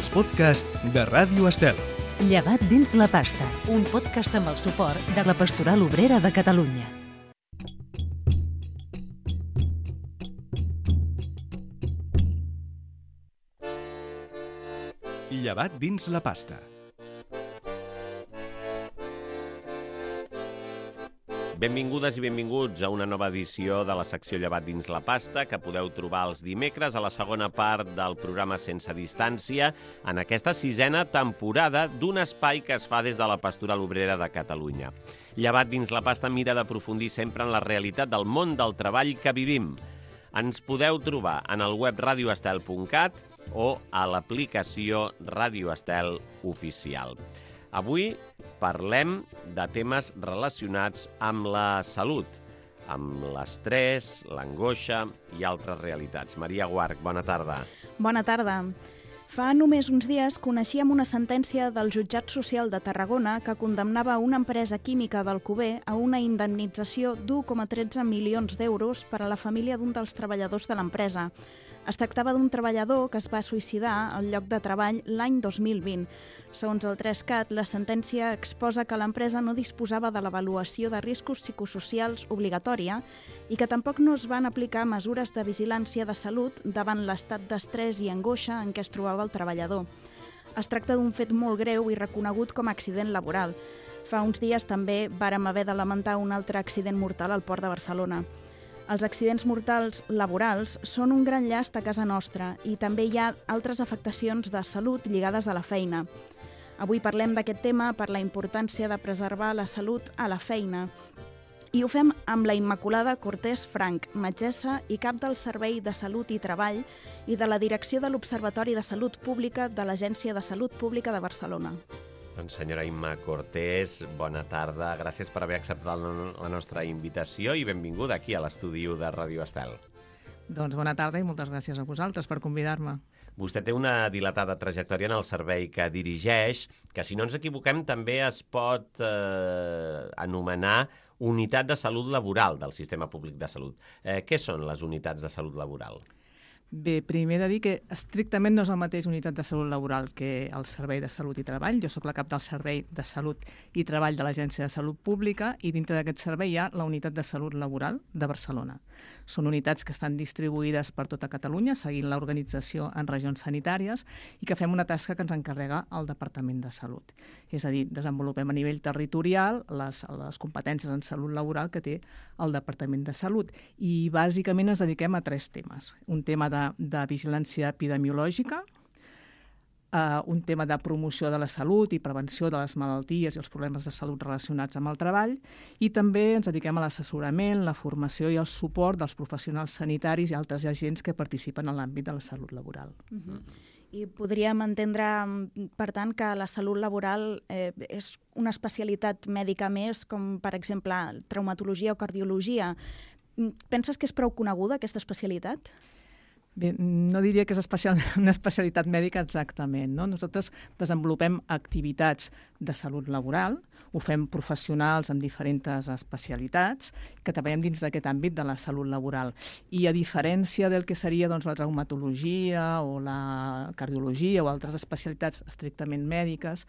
els podcasts de Ràdio Estel. Llevat dins la pasta, un podcast amb el suport de la Pastoral Obrera de Catalunya. Llevat dins la pasta. Benvingudes i benvinguts a una nova edició de la secció Llevat dins la pasta que podeu trobar els dimecres a la segona part del programa Sense Distància en aquesta sisena temporada d'un espai que es fa des de la Pastoral Obrera de Catalunya. Llevat dins la pasta mira d'aprofundir sempre en la realitat del món del treball que vivim. Ens podeu trobar en el web radioestel.cat o a l'aplicació Radio Estel Oficial. Avui parlem de temes relacionats amb la salut, amb l'estrès, l'angoixa i altres realitats. Maria Guarch, bona tarda. Bona tarda. Fa només uns dies coneixíem una sentència del Jutjat Social de Tarragona que condemnava una empresa química d'Alcover a una indemnització d'1,13 milions d'euros per a la família d'un dels treballadors de l'empresa. Es tractava d'un treballador que es va suïcidar al lloc de treball l'any 2020. Segons el 3CAT, la sentència exposa que l'empresa no disposava de l'avaluació de riscos psicosocials obligatòria i que tampoc no es van aplicar mesures de vigilància de salut davant l'estat d'estrès i angoixa en què es trobava el treballador. Es tracta d'un fet molt greu i reconegut com a accident laboral. Fa uns dies també vàrem haver de lamentar un altre accident mortal al Port de Barcelona. Els accidents mortals laborals són un gran llast a casa nostra i també hi ha altres afectacions de salut lligades a la feina. Avui parlem d'aquest tema per la importància de preservar la salut a la feina. I ho fem amb la Immaculada Cortés Franch, metgessa i cap del Servei de Salut i Treball i de la Direcció de l'Observatori de Salut Pública de l'Agència de Salut Pública de Barcelona. Doncs senyora Imma Cortés, bona tarda. Gràcies per haver acceptat la nostra invitació i benvinguda aquí a l'estudi de Ràdio Estel. Doncs bona tarda i moltes gràcies a vosaltres per convidar-me. Vostè té una dilatada trajectòria en el servei que dirigeix, que si no ens equivoquem també es pot anomenar Unitat de Salut Laboral del Sistema Públic de Salut. Què són les unitats de salut laboral? Bé, primer he de dir que estrictament no és el mateix Unitat de Salut Laboral que el Servei de Salut i Treball. Jo sóc la cap del Servei de Salut i Treball de l'Agència de Salut Pública i dintre d'aquest servei hi ha la Unitat de Salut Laboral de Barcelona. Són unitats que estan distribuïdes per tota Catalunya, seguint l'organització en regions sanitàries i que fem una tasca que ens encarrega el Departament de Salut. És a dir, desenvolupem a nivell territorial les competències en salut laboral que té el Departament de Salut i bàsicament ens dediquem a 3 temes. Un tema de vigilància epidemiològica, un tema de promoció de la salut i prevenció de les malalties i els problemes de salut relacionats amb el treball i també ens dediquem a l'assessorament, la formació i el suport dels professionals sanitaris i altres agents que participen en l'àmbit de la salut laboral. I podríem entendre, per tant, que la salut laboral és una especialitat mèdica més, com per exemple traumatologia o cardiologia. Penses que és prou coneguda aquesta especialitat? Bé, no diria que és una especialitat mèdica exactament, no? Nosaltres desenvolupem activitats de salut laboral, ho fem professionals amb diferents especialitats que treballem dins d'aquest àmbit de la salut laboral. I a diferència del que seria doncs, la traumatologia o la cardiologia o altres especialitats estrictament mèdiques,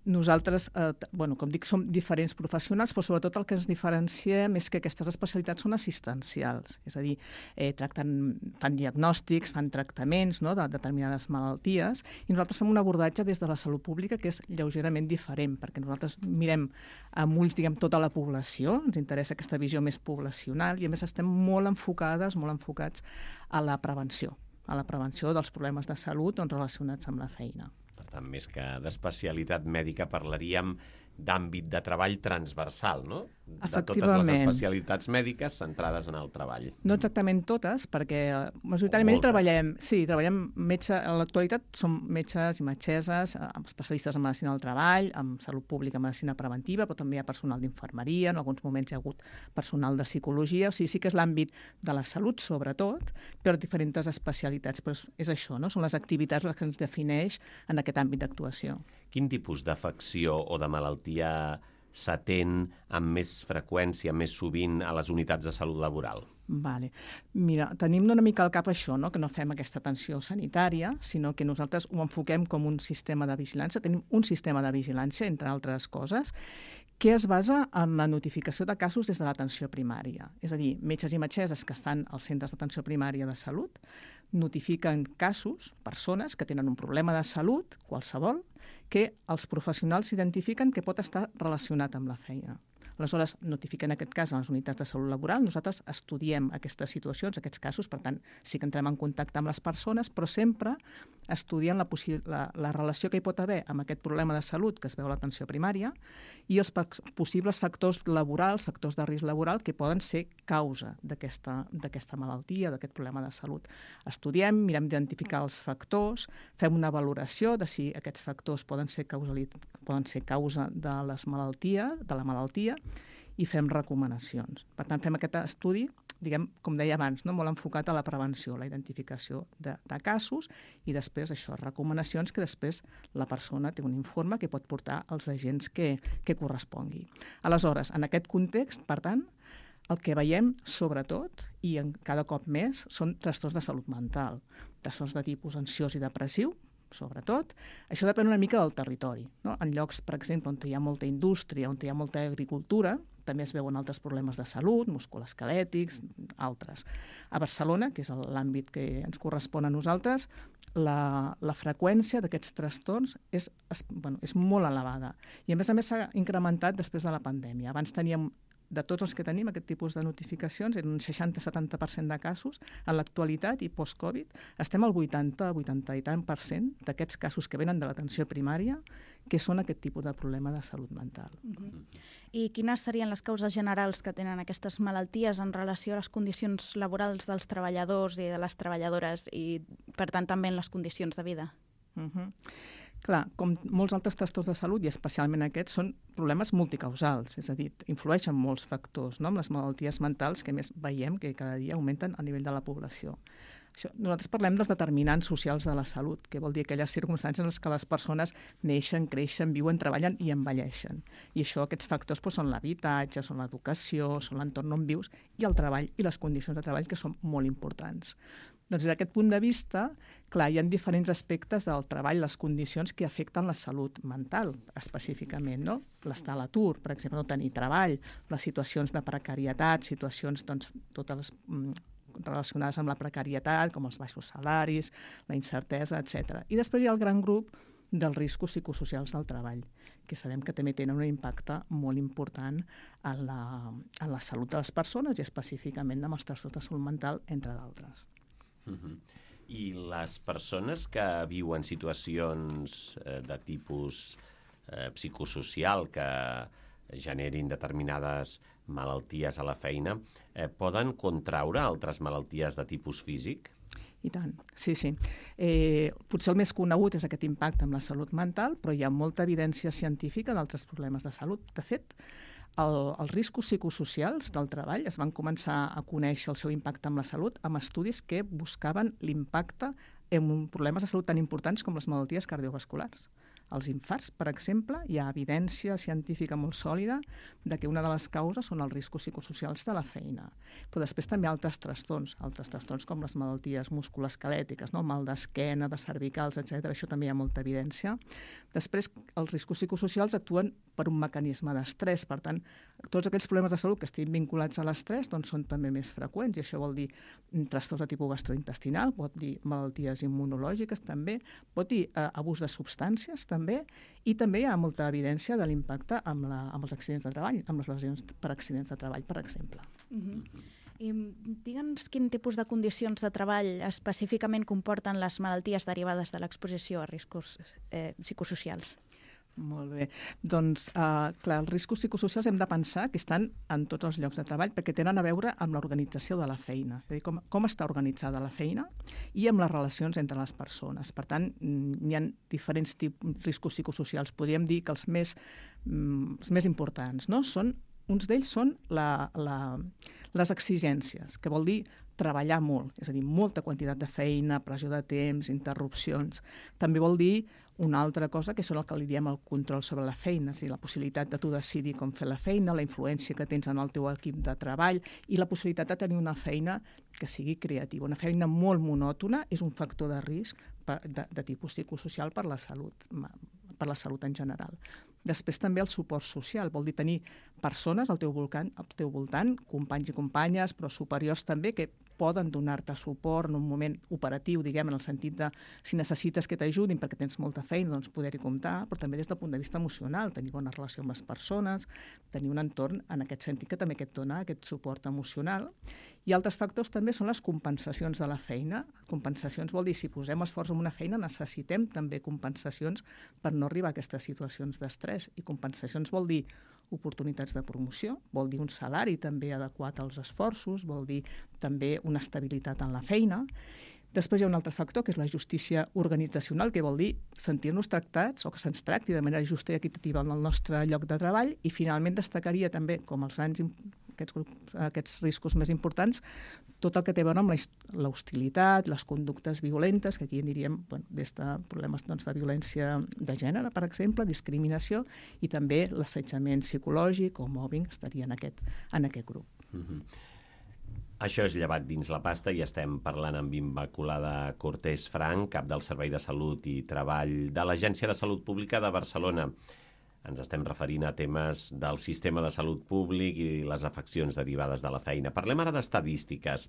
nosaltres, com dic, som diferents professionals, però sobretot el que ens diferenciem és que aquestes especialitats són assistencials, és a dir, fan diagnòstics, fan tractaments de determinades malalties, i nosaltres fem un abordatge des de la salut pública que és lleugerament diferent, perquè nosaltres mirem amb ulls, tota la població, ens interessa aquesta visió més poblacional, i a més estem molt enfocats a la prevenció dels problemes de salut relacionats amb la feina. Per tant, més que d'especialitat mèdica parlaríem d'àmbit de treball transversal, no? De totes les especialitats mèdiques centrades en el treball. No exactament totes, perquè majoritàriament treballem a l'actualitat som metges i metgesses, especialistes en medicina del treball, en salut pública, medicina preventiva, però també hi ha personal d'infermeria, en alguns moments hi ha hagut personal de psicologia, o sigui, sí que és l'àmbit de la salut, sobretot, però diferents especialitats. Però és això, no? Són les activitats les que ens defineix en aquest àmbit d'actuació. Quin tipus d'afecció o de malaltia s'atén amb més freqüència, més sovint a les unitats de salut laboral? Vale. Mira, tenim una mica al cap això, no? Que no fem aquesta atenció sanitària, sinó que nosaltres ho enfoquem com un sistema de vigilància. Tenim un sistema de vigilància, entre altres coses, que es basa en la notificació de casos des de l'atenció primària. És a dir, metges i metgesses que estan als centres d'atenció primària de salut notifiquen casos, persones que tenen un problema de salut, qualsevol, que els professionals identifiquen que pot estar relacionat amb la feina. Aleshores, notifiquen aquest cas a les unitats de salut laboral, nosaltres estudiem aquestes situacions, aquests casos, per tant, sí que entrem en contacte amb les persones, però sempre estudien la relació que hi pot haver amb aquest problema de salut que es veu a l'atenció primària i els possibles factors laborals, factors de risc laboral que poden ser causa d'aquesta malaltia, d'aquest problema de salut. Estudiem, mirem d'identificar els factors, fem una valoració de si aquests factors poden ser causa de la malaltia i fem recomanacions. Per tant, fem aquest estudi, diguem, com deia abans, no? Molt enfocat a la prevenció, la identificació de casos i després això, recomanacions que després la persona té un informe que pot portar als agents que correspongui. Aleshores, en aquest context, per tant, el que veiem, sobretot, i cada cop més, són trastorns de salut mental, trastorns de tipus ansiós i depressiu, sobretot. Això depèn una mica del territori, no? En llocs, per exemple, on hi ha molta indústria, on hi ha molta agricultura, també es veuen altres problemes de salut, musculoesquelètics, altres. A Barcelona, que és l'àmbit que ens correspon a nosaltres, la freqüència d'aquests trastorns és molt elevada. I a més s'ha incrementat després de la pandèmia. Abans teníem, de tots els que tenim, aquest tipus de notificacions, eren un 60-70% de casos. En l'actualitat i post-Covid estem al 80 i tant per cent d'aquests casos que venen de l'atenció primària que són aquest tipus de problema de salut mental. I quines serien les causes generals que tenen aquestes malalties en relació a les condicions laborals dels treballadors i de les treballadores i, per tant, també en les condicions de vida? Clar, com molts altres trastorns de salut, i especialment aquests, són problemes multicausals, és a dir, influeixen molts factors, no? Amb les malalties mentals que més veiem que cada dia augmenten a nivell de la població. Nosaltres parlem dels determinants socials de la salut, que vol dir aquelles circumstàncies en les que les persones neixen, creixen, viuen, treballen i envelleixen. I aquests factors són l'habitatge, són l'educació, són l'entorn on vius i el treball i les condicions de treball, que són molt importants. Doncs des d'aquest punt de vista, clar, hi ha diferents aspectes del treball, les condicions que afecten la salut mental, específicament, no? L'estar a l'atur, per exemple, no tenir treball, les situacions de precarietat, situacions, doncs, totes les relacionades amb la precarietat, com els baixos salaris, la incertesa, etc. I després hi ha el gran grup dels riscos psicosocials del treball, que sabem que també tenen un impacte molt important en la salut de les persones i específicament amb els trastorns de salut mental, entre d'altres. I les persones que viuen situacions de tipus psicosocial que generin determinades malalties a la feina, poden contraure altres malalties de tipus físic? I tant, sí. Potser el més conegut és aquest impacte amb la salut mental, però hi ha molta evidència científica d'altres problemes de salut. De fet, els riscos psicosocials del treball es van començar a conèixer el seu impacte amb la salut amb estudis que buscaven l'impacte en problemes de salut tan importants com les malalties cardiovasculars. Els infarts, per exemple, hi ha evidència científica molt sòlida de que una de les causes són els riscos psicosocials de la feina. Però després també altres trastorns com les malalties musculoesquelètiques, no? El mal d'esquena, de cervicals, etc. Això també hi ha molta evidència. Després, els riscos psicosocials actuen per un mecanisme d'estrès. Per tant, tots aquells problemes de salut que estiguin vinculats a l'estrès doncs, són també més freqüents, i això vol dir trastorns de tipus gastrointestinal, pot dir malalties immunològiques també, pot dir abús de substàncies també, i també hi ha molta evidència de l'impacte amb els accidents de treball, amb les lesions per accidents de treball, per exemple. I digue'ns quin tipus de condicions de treball específicament comporten les malalties derivades de l'exposició a riscos psicosocials. Molt bé. Doncs, clar, els riscos psicosocials hem de pensar que estan en tots els llocs de treball perquè tenen a veure amb l'organització de la feina, és a dir, com està organitzada la feina i amb les relacions entre les persones. Per tant, hi ha diferents riscos psicosocials. Podríem dir que els més importants, no? Són uns d'ells són les exigències, que vol dir treballar molt, és a dir, molta quantitat de feina, pressió de temps, interrupcions. També vol dir una altra cosa, que són el que li diem el control sobre la feina, és a dir, la possibilitat de tu decidir com fer la feina, la influència que tens en el teu equip de treball i la possibilitat de tenir una feina que sigui creativa. Una feina molt monòtona és un factor de risc de tipus psicosocial per la salut en general. Després també el suport social, vol dir tenir persones al teu voltant, companys i companyes, però superiors també, que poden donar-te suport en un moment operatiu, diguem, en el sentit de si necessites que t'ajudin perquè tens molta feina, doncs poder-hi comptar, però també des del punt de vista emocional, tenir bona relació amb les persones, tenir un entorn en aquest sentit que també et dona aquest suport emocional. I altres factors també són les compensacions de la feina. Compensacions vol dir, si posem esforç en una feina, necessitem també compensacions per no arribar a aquestes situacions d'estrès. I compensacions vol dir oportunitats de promoció, vol dir un salari també adequat als esforços, vol dir també una estabilitat en la feina. Després hi ha un altre factor, que és la justícia organitzacional, que vol dir sentir-nos tractats o que se'ns tracti de manera justa i equitativa en el nostre lloc de treball. I finalment destacaria també, com aquests riscos més importants, tot el que té a veure amb la hostilitat, les conductes violentes, que aquí en diríem des de problemes de violència de gènere, per exemple, discriminació, i també l'assetjament psicològic o mobbing estaria en aquest grup. Això és Llevat dins la pasta i estem parlant amb Immaculada Cortés Franch, cap del Servei de Salut i Treball de l'Agència de Salut Pública de Barcelona. Ens estem referint a temes del sistema de salut públic i les afeccions derivades de la feina. Parlem ara d'estadístiques.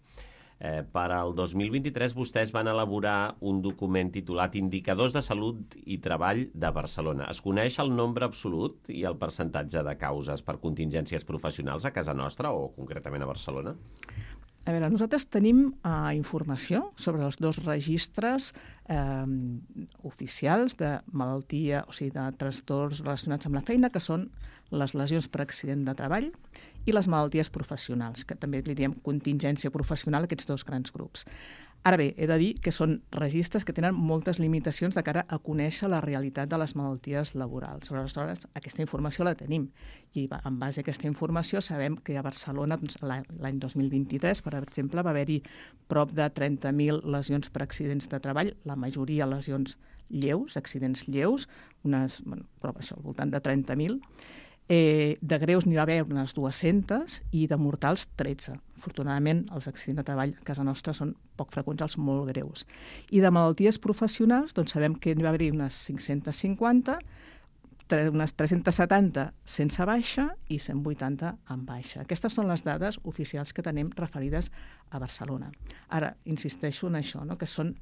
Per al 2023 vostès van elaborar un document titulat Indicadors de Salut i Treball de Barcelona. Es coneix el nombre absolut i el percentatge de causes per contingències professionals a casa nostra o concretament a Barcelona? A veure, nosaltres tenim informació sobre els dos registres oficials de malaltia, o sigui, de trastorns relacionats amb la feina, que són les lesions per accident de treball i les malalties professionals, que també li diem contingència professional a aquests dos grans grups. Ara bé, he de dir que són registres que tenen moltes limitacions de cara a conèixer la realitat de les malalties laborals. Aleshores, aquesta informació la tenim i en base a aquesta informació sabem que a Barcelona l'any 2023, per exemple, va haver-hi prop de 30.000 lesions per accidents de treball, la majoria lesions lleus, accidents lleus, però això, al voltant de 30.000. De greus n'hi va haver unes 200 i de mortals 13. Afortunadament, els accidents de treball a casa nostra són poc freqüents, els molt greus. I de malalties professionals, doncs sabem que n'hi va haver unes 550, unes 370 sense baixa i 180 amb baixa. Aquestes són les dades oficials que tenim referides a Barcelona. Ara, insisteixo en això, que són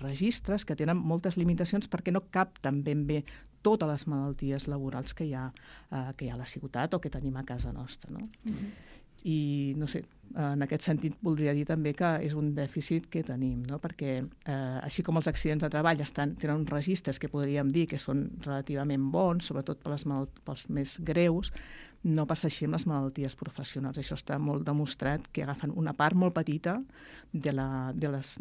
registres que tenen moltes limitacions perquè no capten ben bé totes les malalties laborals que hi ha a la ciutat o que tenim a casa nostra. I, no sé, en aquest sentit voldria dir també que és un dèficit que tenim, perquè així com els accidents de treball tenen uns registres que podríem dir que són relativament bons, sobretot pels més greus, no passa així amb les malalties professionals. Això està molt demostrat, que agafen una part molt petita de les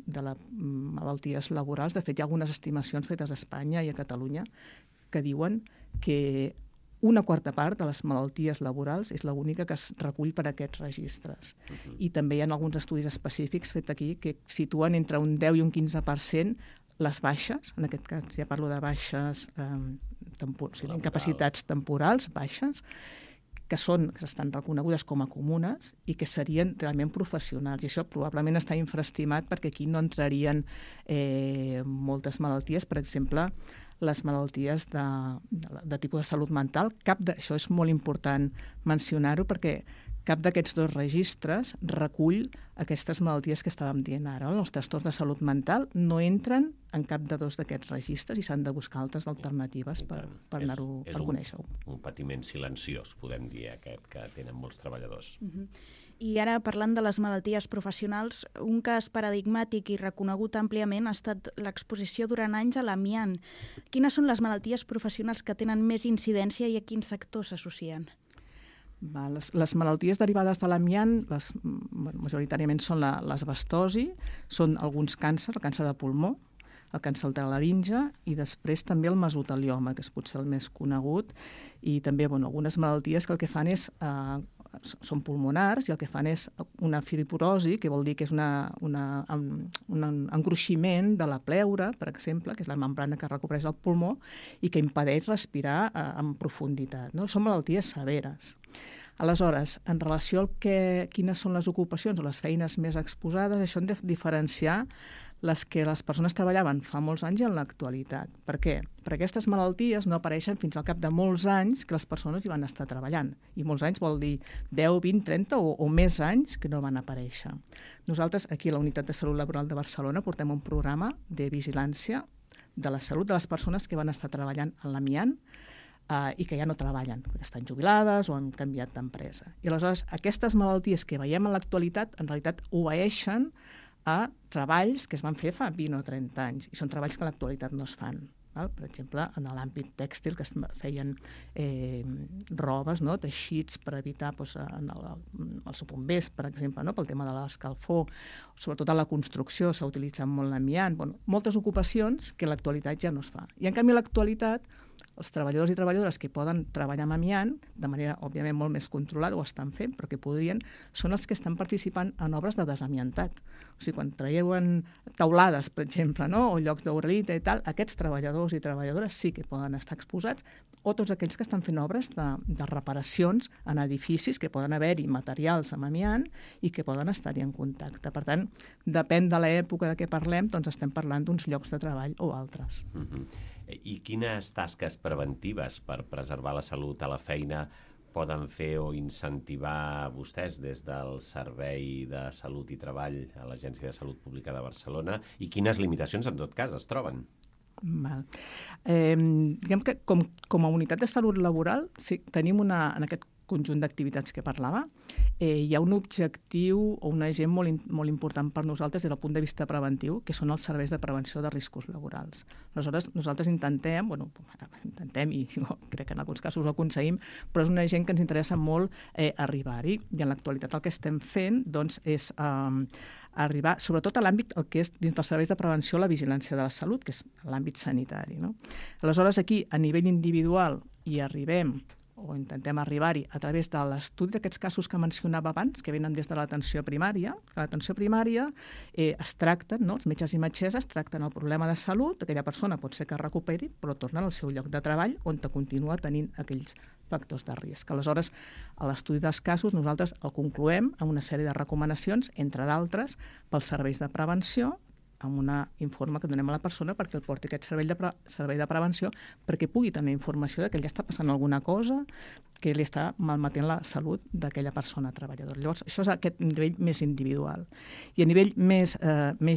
malalties laborals. De fet, hi ha algunes estimacions fetes a Espanya i a Catalunya que diuen que una quarta part de les malalties laborals és l'única que es recull per aquests registres. I també hi ha alguns estudis específics fets aquí que situen entre un 10 i un 15% les baixes, en aquest cas ja parlo de baixes, incapacitats temporals, baixes, que estan reconegudes com a comunes i que serien realment professionals. I això probablement està infraestimat perquè aquí no entrarien moltes malalties, per exemple, les malalties de tipus de salut mental. Això és molt important mencionar-ho perquè cap d'aquests dos registres recull aquestes malalties que estàvem dient ara. Els trastorns de salut mental no entren en cap de dos d'aquests registres i s'han de buscar altres alternatives per conèixer-ho. És un patiment silenciós, podem dir, aquest que tenen molts treballadors. I ara, parlant de les malalties professionals, un cas paradigmàtic i reconegut àmpliament ha estat l'exposició durant anys a l'amiant. Quines són les malalties professionals que tenen més incidència i a quins sectors s'associen? Les malalties derivades de l'amiant majoritàriament són l'asbestosi, són alguns càncers, el càncer de pulmó, el càncer de la laringe i després també el mesotelioma, que és potser el més conegut, i també algunes malalties que el que fan és són pulmonars i el que fan és una fibrosi, que vol dir que és un engruiximent de la pleura, per exemple, que és la membrana que recobreix el pulmó i que impedeix respirar en profunditat. No? Són malalties severes. Aleshores, en relació al quines són les ocupacions o les feines més exposades, això hem de diferenciar les que les persones treballaven fa molts anys i en l'actualitat. Per què? Perquè aquestes malalties no apareixen fins al cap de molts anys que les persones hi van estar treballant. I molts anys vol dir 10, 20, 30 o més anys que no van aparèixer. Nosaltres, aquí a la Unitat de Salut Laboral de Barcelona, portem un programa de vigilància de la salut de les persones que van estar treballant en l'amiant i que ja no treballen, perquè estan jubilades o han canviat d'empresa. I aleshores, aquestes malalties que veiem en l'actualitat, en realitat obeeixen a treballs que es van fer fa 20 o 30 anys, i són treballs que en l'actualitat no es fan. Per exemple, en l'àmbit tèxtil, que es feien robes, teixits per evitar els bombers, per exemple, pel tema de l'escalfor, sobretot a la construcció s'ha utilitzat molt l'amiant, moltes ocupacions que en l'actualitat ja no es fa. I en canvi a l'actualitat els treballadors i treballadores que poden treballar amb amiant, de manera, òbviament, molt més controlada, ho estan fent, però que podrien, són els que estan participant en obres de desamiantat. O sigui, quan traien taulades, per exemple, o llocs d'uralita i tal, aquests treballadors i treballadores sí que poden estar exposats, o tots aquells que estan fent obres de reparacions en edificis que poden haver-hi materials amb amiant i que poden estar-hi en contacte. Per tant, depèn de l'època de què parlem, doncs estem parlant d'uns llocs de treball o altres. I quines tasques preventives per preservar la salut a la feina poden fer o incentivar vostès des del Servei de Salut i Treball a l'Agència de Salut Pública de Barcelona i quines limitacions, en tot cas, es troben? Diguem que com a unitat de salut laboral sí, tenim en aquest conjunt d'activitats que parlava, hi ha un objectiu o un agent molt important per nosaltres des del punt de vista preventiu, que són els serveis de prevenció de riscos laborals. Aleshores, nosaltres intentem, i crec que en alguns casos ho aconseguim, però és un agent que ens interessa molt arribar-hi, i en l'actualitat el que estem fent és arribar, sobretot a l'àmbit, el que és dins dels serveis de prevenció, la vigilància de la salut, que és l'àmbit sanitari. Aleshores, aquí, a nivell individual, hi arribem o intentem arribar-hi a través de l'estudi d'aquests casos que mencionava abans, que venen des de l'atenció primària. A l'atenció primària es tracten, els metges i metgesses tracten el problema de salut, aquella persona pot ser que es recuperi, però torna al seu lloc de treball on continua tenint aquells factors de risc. Aleshores, a l'estudi dels casos nosaltres el concloem amb una sèrie de recomanacions, entre d'altres, pels serveis de prevenció, amb un informe que donem a la persona perquè el porti aquest servei de prevenció perquè pugui tenir informació de que ja està passant alguna cosa que li està malmetent la salut d'aquella persona treballadora. Llavors, això és aquest nivell més individual. I a nivell més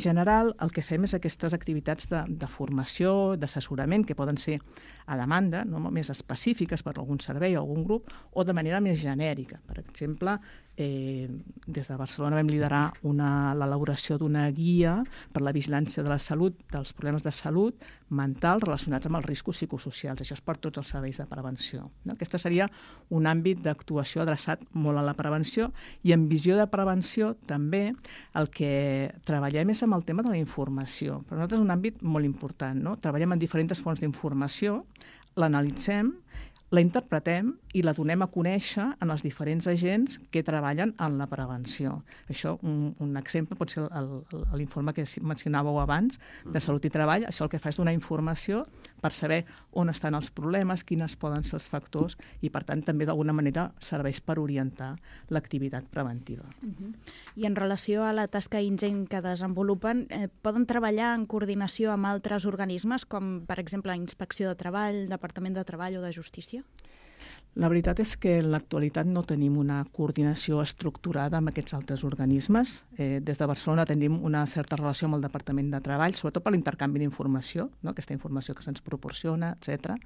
general, el que fem és aquestes activitats de formació, d'assessorament, que poden ser a demanda, no més específiques per algun servei o algun grup, o de manera més genèrica. Per exemple, des de Barcelona vam liderar l'elaboració d'una guia per la vigilància de la salut, dels problemes de salut mental relacionats amb els riscos psicosocials. Això és per tots els serveis de prevenció. Aquesta seria un àmbit d'actuació adreçat molt a la prevenció i en visió de prevenció també el que treballem és amb el tema de la informació. Per nosaltres és un àmbit molt important. Treballem en diferents fonts d'informació, l'analitzem, la interpretem i la donem a conèixer en els diferents agents que treballen en la prevenció. Això, un exemple, pot ser l'informe que mencionàveu abans, de Salut i Treball. Això el que fa és donar informació per saber on estan els problemes, quines poden ser els factors i, per tant, també d'alguna manera serveix per orientar l'activitat preventiva. I en relació a la tasca ingent que desenvolupen, poden treballar en coordinació amb altres organismes, com, per exemple, Inspecció de Treball, Departament de Treball o de Justícia? La veritat és que en l'actualitat no tenim una coordinació estructurada amb aquests altres organismes. Des de Barcelona tenim una certa relació amb el Departament de Treball, sobretot per l'intercanvi d'informació, aquesta informació que se'ns proporciona, etc.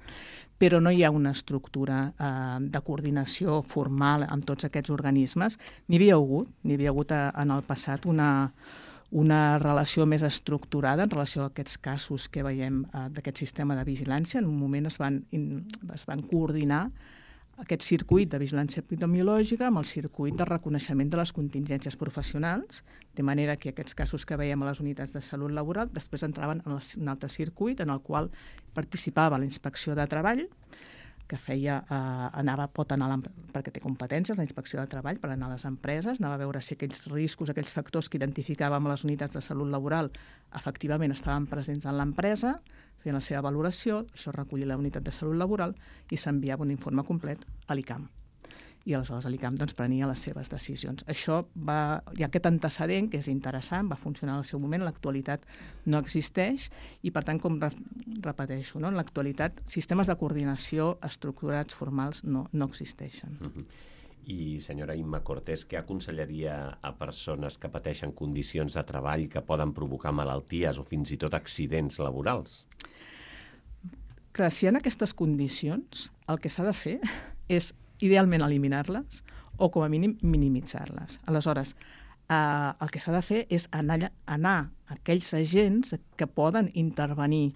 Però no hi ha una estructura de coordinació formal amb tots aquests organismes. N'hi havia hagut en el passat una relació més estructurada en relació a aquests casos que veiem d'aquest sistema de vigilància. En un moment es van coordinar aquest circuit de vigilància epidemiològica amb el circuit de reconeixement de les contingències professionals, de manera que aquests casos que veiem a les unitats de salut laboral després entraven en un altre circuit en el qual participava la inspecció de treball, que pot anar perquè té competències, la inspecció de treball, per anar a les empreses, anava a veure si aquells riscos, aquells factors que identificàvem a les unitats de salut laboral efectivament estaven presents en l'empresa, feien la seva valoració, això recollia la unitat de salut laboral i s'enviava un informe complet a l'ICAM. I aleshores l'ICAM prenia les seves decisions. Això hi ha aquest antecedent que és interessant, va funcionar al seu moment, en l'actualitat no existeix i, per tant, com repeteixo, en l'actualitat sistemes de coordinació estructurats, formals, no existeixen. I, senyora Imma Cortés, què aconsellaria a persones que pateixen condicions de treball que poden provocar malalties o fins i tot accidents laborals? Clar, si hi ha aquestes condicions, el que s'ha de fer és idealment eliminar-les o com a mínim minimitzar-les. Aleshores, el que s'ha de fer és anar a aquells agents que poden intervenir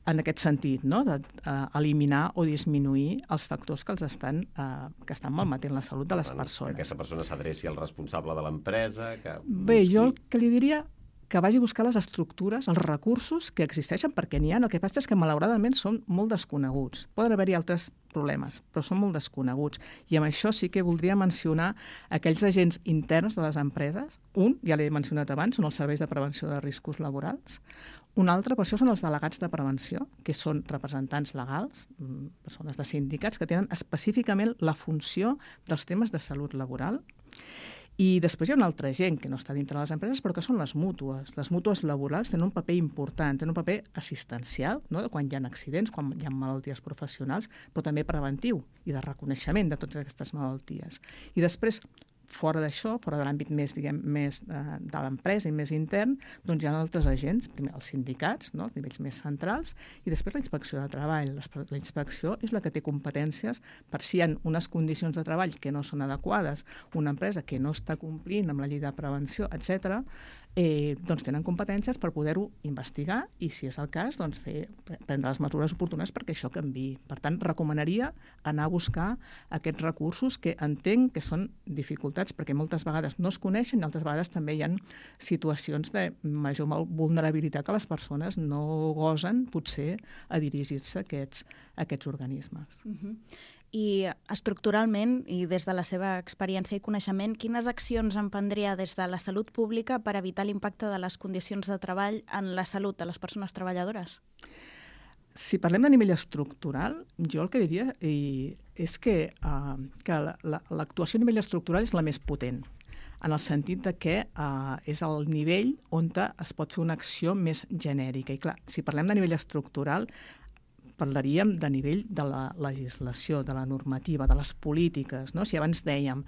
en aquest sentit, no? D'eliminar o disminuir els factors que estan malmetent la salut de les persones. Que aquesta persona s'adreci al responsable de l'empresa... Bé, jo el que li diria que vagi a buscar les estructures, els recursos que existeixen, perquè n'hi ha. El que passa és que, malauradament, són molt desconeguts. Poden haver-hi altres problemes, però són molt desconeguts. I amb això sí que voldria mencionar aquells agents interns de les empreses. Un, ja l'he mencionat abans, són els serveis de prevenció de riscos laborals. Un altre, per això, són els delegats de prevenció, que són representants legals, persones de sindicats, que tenen específicament la funció dels temes de salut laboral. I després hi ha una altra gent que no està dintre de les empreses, però que són les mútues. Les mútues laborals tenen un paper important, tenen un paper assistencial, no? Quan hi ha accidents, quan hi ha malalties professionals, però també preventiu i de reconeixement de totes aquestes malalties. I després, fora d'això, fora de l'àmbit més de l'empresa i més intern, doncs hi ha altres agents, primer els sindicats, no? Els nivells més centrals, i després la inspecció de treball. La inspecció és la que té competències per si hi ha unes condicions de treball que no són adequades, una empresa que no està complint amb la llei de prevenció, etc., doncs tenen competències per poder-ho investigar i, si és el cas, doncs prendre les mesures oportunes perquè això canviï. Per tant, recomanaria anar a buscar aquests recursos que entenc que són dificultats perquè moltes vegades no es coneixen i altres vegades també hi ha situacions de major vulnerabilitat que les persones no gosen, potser, a dirigir-se a aquests organismes. I estructuralment, i des de la seva experiència i coneixement, quines accions emprendria des de la salut pública per evitar l'impacte de les condicions de treball en la salut de les persones treballadores? Si parlem de nivell estructural, jo el que diria és que l'actuació a nivell estructural és la més potent, en el sentit de que és el nivell on es pot fer una acció més genèrica. I clar, si parlem de nivell estructural, parlaríem de nivell de la legislació, de la normativa, de les polítiques, no? Si abans dèiem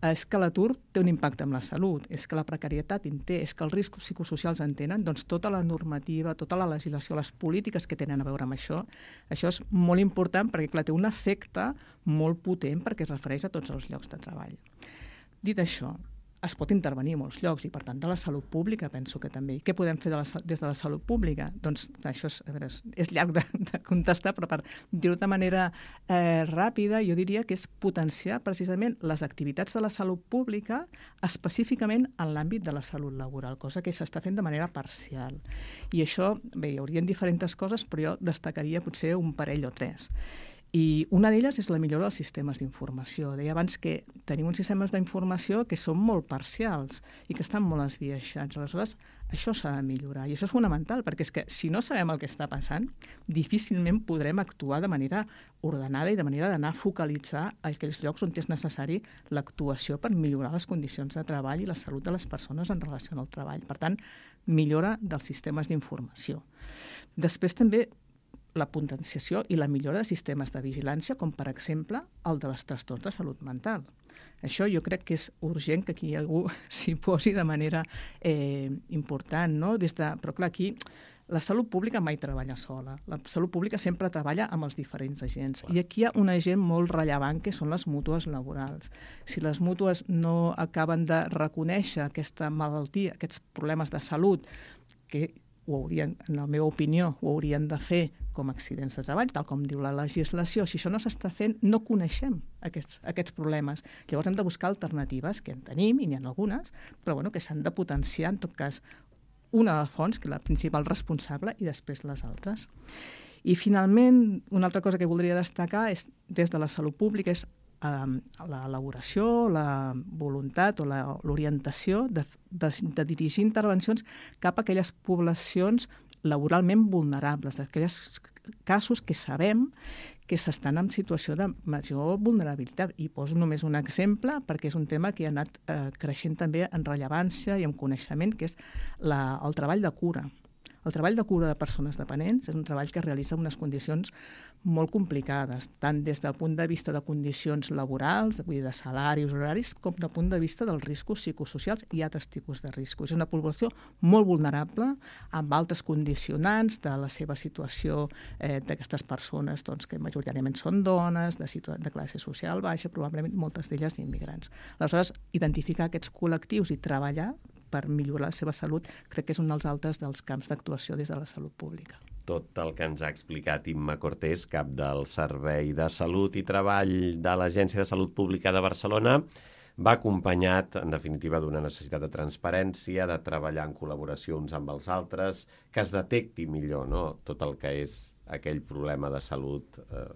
és que l'atur té un impacte en la salut, és que la precarietat en té, és que els riscos psicosocials en tenen, doncs tota la normativa, tota la legislació, les polítiques que tenen a veure amb això és molt important perquè, clar, té un efecte molt potent perquè es refereix a tots els llocs de treball. Dit això, es pot intervenir a molts llocs i, per tant, de la salut pública penso que també. Què podem fer des de la salut pública? Doncs això és llarg de contestar, però per dir-ho de manera ràpida, jo diria que és potenciar precisament les activitats de la salut pública específicament en l'àmbit de la salut laboral, cosa que s'està fent de manera parcial. I això, bé, hi haurien diferents coses, però jo destacaria potser un parell o tres. I una d'elles és la millora dels sistemes d'informació. Deia abans que tenim uns sistemes d'informació que són molt parcials i que estan molt esbiaixats. Aleshores, això s'ha de millorar i això és fonamental, perquè és que si no sabem el que està passant, difícilment podrem actuar de manera ordenada i de manera d'anar a focalitzar aquells llocs on és necessari l'actuació per millorar les condicions de treball i la salut de les persones en relació al treball. Per tant, millora dels sistemes d'informació. Després també la potenciació i la millora de sistemes de vigilància, com per exemple el de les trastorns de salut mental. Això jo crec que és urgent que aquí algú s'hi posi de manera important, no? Però clar, aquí la salut pública mai treballa sola. La salut pública sempre treballa amb els diferents agents. I aquí hi ha un agent molt rellevant que són les mútues laborals. Si les mútues no acaben de reconèixer aquesta malaltia, aquests problemes de salut, que en la meva opinió, ho haurien de fer com a accidents de treball, tal com diu la legislació. Si això no s'està fent, no coneixem aquests problemes. Llavors hem de buscar alternatives, que en tenim, i n'hi ha algunes, però que s'han de potenciar, en tot cas, una de fons, que és la principal responsable, i després les altres. I finalment, una altra cosa que voldria destacar és, des de la salut pública, és l'elaboració, la voluntat o l'orientació de dirigir intervencions cap a aquelles poblacions laboralment vulnerables, d'aquells casos que sabem que s'estan en situació de major vulnerabilitat. I poso només un exemple, perquè és un tema que ha anat creixent també en rellevància i en coneixement, que és el treball de cura. El treball de cura de persones dependents és un treball que es realitza en unes condicions molt complicades, tant des del punt de vista de condicions laborals, vull dir, de salaris, horaris, com del punt de vista dels riscos psicosocials i altres tipus de riscos. És una població molt vulnerable, amb altres condicionants de la seva situació d'aquestes persones, que majoritàriament són dones, de classe social baixa, probablement moltes d'elles immigrants. Aleshores, identificar aquests col·lectius i treballar per millorar la seva salut, crec que és un dels altres dels camps d'actuació des de la salut pública. Tot el que ens ha explicat Imma Cortés, cap del Servei de Salut i Treball de l'Agència de Salut Pública de Barcelona, va acompanyat, en definitiva, d'una necessitat de transparència, de treballar en col·laboració uns amb els altres, que es detecti millor tot el que és aquell problema de salut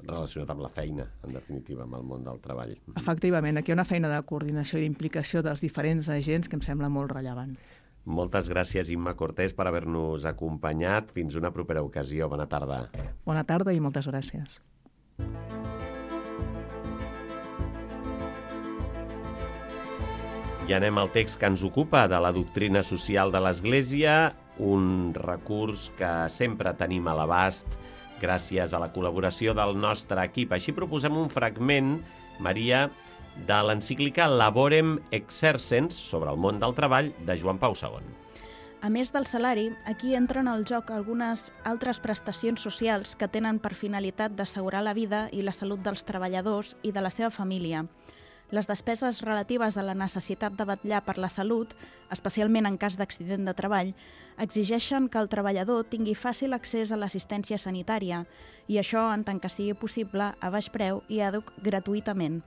relacionat amb la feina, en definitiva, amb el món del treball. Efectivament, aquí hi ha una feina de coordinació i d'implicació dels diferents agents que em sembla molt rellevant. Moltes gràcies, Imma Cortés, per haver-nos acompanyat. Fins una propera ocasió. Bona tarda. Bona tarda i moltes gràcies. I anem al text que ens ocupa, de la doctrina social de l'Església, un recurs que sempre tenim a l'abast gràcies a la col·laboració del nostre equip. Així proposem un fragment, Maria, de l'encíclica Laborem Exercens, sobre el món del treball, de Joan Pau II. A més del salari, aquí entren al joc algunes altres prestacions socials que tenen per finalitat d'assegurar la vida i la salut dels treballadors i de la seva família. Les despeses relatives a la necessitat de vetllar per la salut, especialment en cas d'accident de treball, exigeixen que el treballador tingui fàcil accés a l'assistència sanitària, i això, en tant que sigui possible, a baix preu i gratuïtament.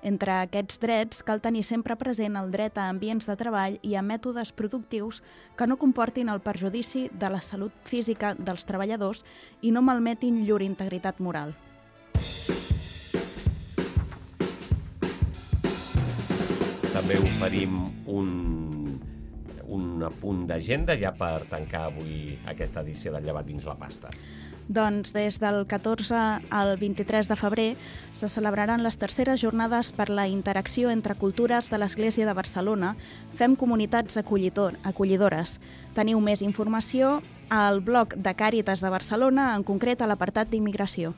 Entre aquests drets cal tenir sempre present el dret a ambients de treball i a mètodes productius que no comportin el perjudici de la salut física dels treballadors i no malmetin llur integritat moral. També oferim un apunt d'agenda ja per tancar avui aquesta edició del Llevat dins la pasta. Doncs des del 14 al 23 de febrer se celebraran les terceres jornades per la interacció entre cultures de l'Església de Barcelona. Fem comunitats acollidores. Teniu més informació al blog de Càritas de Barcelona, en concret a l'apartat d'immigració.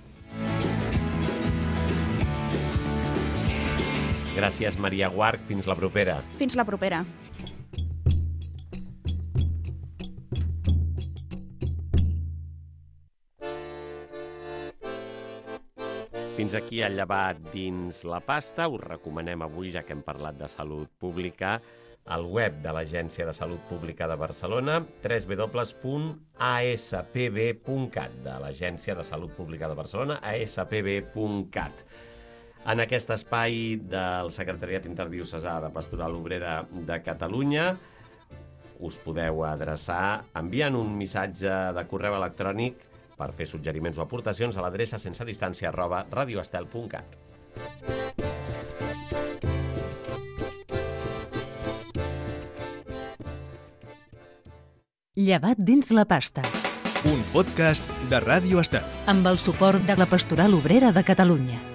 Gràcies, Maria Guarch. Fins la propera. Fins la propera. Fins aquí el Llevat dins la pasta. Us recomanem avui, ja que hem parlat de salut pública, el web de l'Agència de Salut Pública de Barcelona, www.aspb.cat, de l'Agència de Salut Pública de Barcelona, aspb.cat. En aquest espai del Secretariat Interdiocesà de Pastoral Obrera de Catalunya us podeu adreçar enviant un missatge de correu electrònic per fer suggeriments o aportacions a l'adreça sensedistància@radioestel.cat. Llevat dins la pasta. Un podcast de Ràdio Estel. Amb el suport de la Pastoral Obrera de Catalunya.